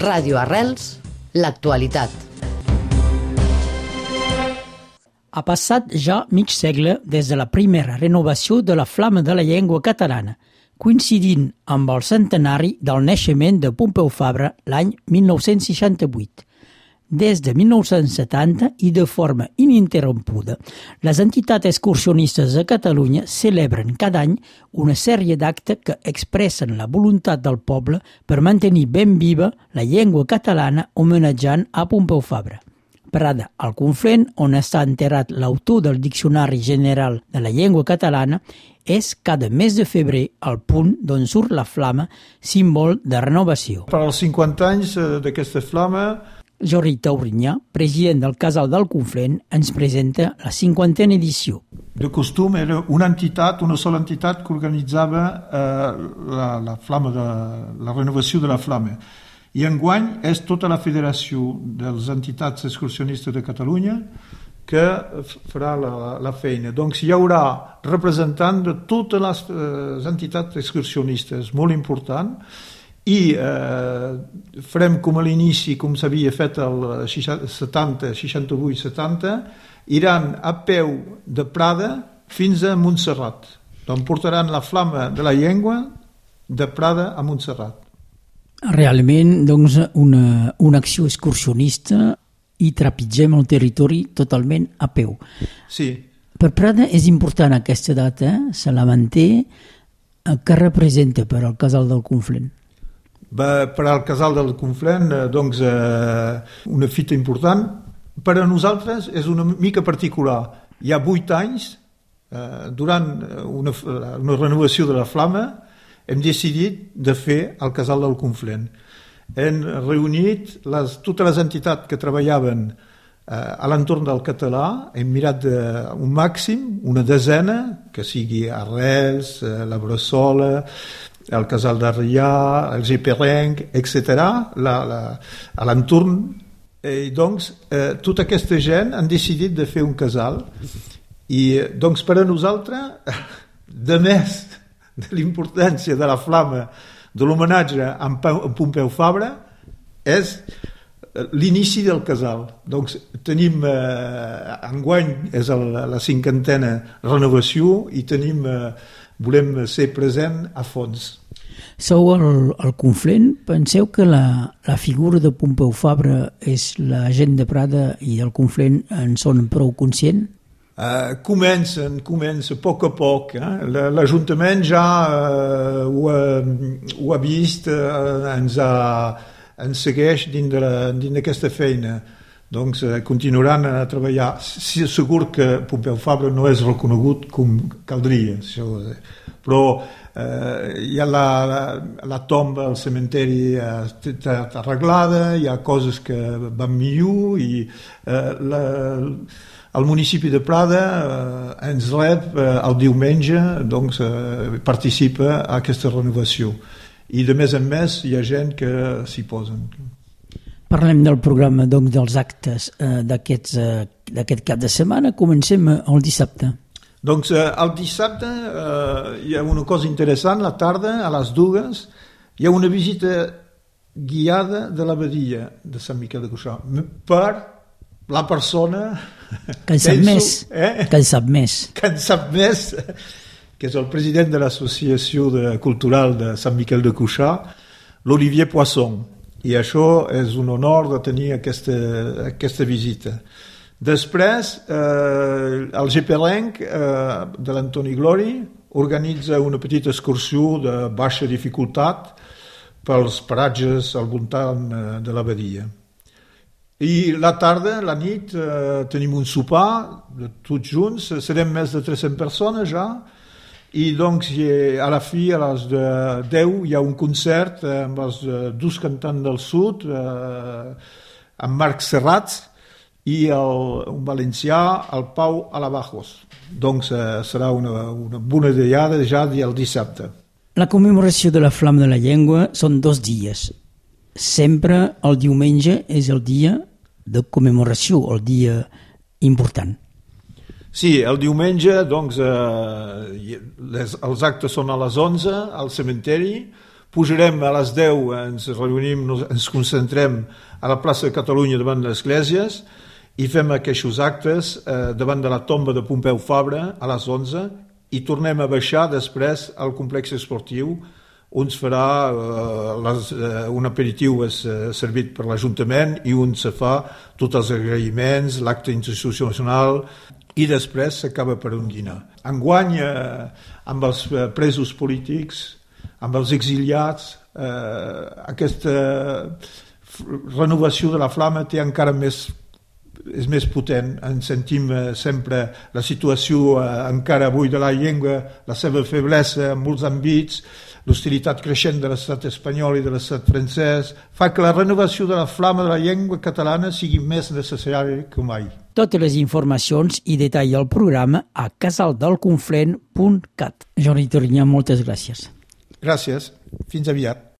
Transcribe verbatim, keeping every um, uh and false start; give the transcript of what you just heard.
Ràdio Arrels, l'actualitat. Ha passat ja mig segle des de la primera renovació de la Flama de la Llengua Catalana, coincidint amb el centenari del naixement de Pompeu Fabra l'any mil nou-cents seixanta-vuit. Des de mil nou-cents setanta i de forma ininterrompuda, les entitats excursionistes de Catalunya celebren cada any una sèrie d'actes que expressen la voluntat del poble per mantenir ben viva la llengua catalana homenatjant a Pompeu Fabra. Prada, al Conflent, on està enterrat l'autor del Diccionari General de la Llengua Catalana, és cada mes de febrer el punt d'on surt la flama, símbol de renovació. Per als cinquanta anys d'aquesta flama, Jordi Taurinyà, president del Casal del Conflent, ens presenta la cinquantena edició. De costum era una entitat, una sola entitat que organitzava eh, la, la flama de, la renovació de la flama. I enguany és tota la Federació de les Entitats Excursionistes de Catalunya que farà la, la feina. Doncs hi haurà representant de totes les eh, entitats excursionistes, molt important, i eh, farem com a l'inici, com s'havia fet el setanta, seixanta-vuit setanta, iran a peu de Prada fins a Montserrat. Doncs portaran la flama de la llengua de Prada a Montserrat. Realment, doncs, una, una acció excursionista i trepitgem el territori totalment a peu. Sí. Per Prada és important aquesta data, eh? Se la manté. Què representa per al Casal del Conflent? Va, per al Casal del Conflent, doncs, eh, una fita important. Per a nosaltres és una mica particular. Hi ha vuit anys, eh, durant una, una renovació de la flama, hem decidit de fer el Casal del Conflent. Hem reunit les, totes les entitats que treballaven eh, a l'entorn del català, hem mirat de, un màxim, una desena, que sigui Arrels, eh, la Bressola, el Casal d'Arrià, el Geperenc, etcètera, la, la, a l'entorn. I doncs, eh, tota aquesta gent han decidit de fer un casal. I doncs per a nosaltres, de més de l'importància de la flama de l'homenatge a Pompeu Fabra és l'inici del casal. Doncs tenim, eh, enguany és el, la cinquantena renovació i tenim, eh, volem ser present a fons. Sou al, al Conflent, penseu que la, la figura de Pompeu Fabra és la gent de Prada i del Conflent en són prou conscient? Uh, comencen, comença a poc a poc. Eh? L'Ajuntament ja uh, ho, ha, ho ha vist, uh, ens, ha, ens segueix dins d'aquesta feina. Doncs uh, continuaran a treballar. Sí, segur que Pompeu Fabra no és reconegut com caldria, això. Però uh, hi ha la, la, la tomba al cementeri uh, arreglada, hi ha coses que van millor i uh, la... El municipi de Prada eh, ens rep eh, el diumenge, doncs eh, participa a aquesta renovació. I de més en més hi ha gent que s'hi posen. Parlem del programa, doncs, dels actes eh, d'aquest eh, cap de setmana. Comencem el dissabte. Doncs eh, el dissabte eh, hi ha una cosa interessant. La tarda, a les dues, hi ha una visita guiada de l'abadia de Sant Miquel de Cuixà per la persona que en sap penso, més, eh? que en sap més, que en sap més, que és el president de l'Associació de, Cultural de Sant Miquel de Cuixà, l'Olivier Poisson. I això és un honor de tenir aquesta, aquesta visita. Després, eh, el Geperenc eh, de l'Antoni Glori organitza una petita excursió de baixa dificultat pels paratges al voltant de l'abadia. I la tarda, la nit, eh, tenim un sopar, tots junts, serem més de tres-centes persones ja, i doncs a la fi, a les deu, hi ha un concert amb els dos cantants del sud, eh, amb Marc Serrat i el, un valencià, el Pau Alabajos. Doncs eh, serà una, una bona diada ja el dissabte. La commemoració de la Flama de la Llengua són dos dies. Sempre el diumenge és el dia de commemoració, el dia important. Sí, el diumenge, doncs, eh, les, els actes són a les onze al cementeri, pujarem a les deu, ens reunim, ens concentrem a la plaça de Catalunya davant de les esglésies i fem aquests actes eh, davant de la tomba de Pompeu Fabra a les onze i tornem a baixar després al complex esportiu on es farà eh, les, eh, un aperitiu és, eh, servit per l'Ajuntament i on se fa tots els agraïments, l'acte institucional i després s'acaba per un dinar. Enguany, eh, amb els presos polítics, amb els exiliats, eh, aquesta renovació de la flama té encara més, és més potent. Ens sentim eh, sempre la situació eh, encara avui de la llengua, la seva feblesa en molts àmbits, l'hostilitat creixent de l'estat espanyol i de l'estat francès, fa que la renovació de la flama de la llengua catalana sigui més necessària que mai. Totes les informacions i detall del programa a casaldelconflent punt cat. Jordi Torinyà, moltes gràcies. Gràcies. Fins aviat.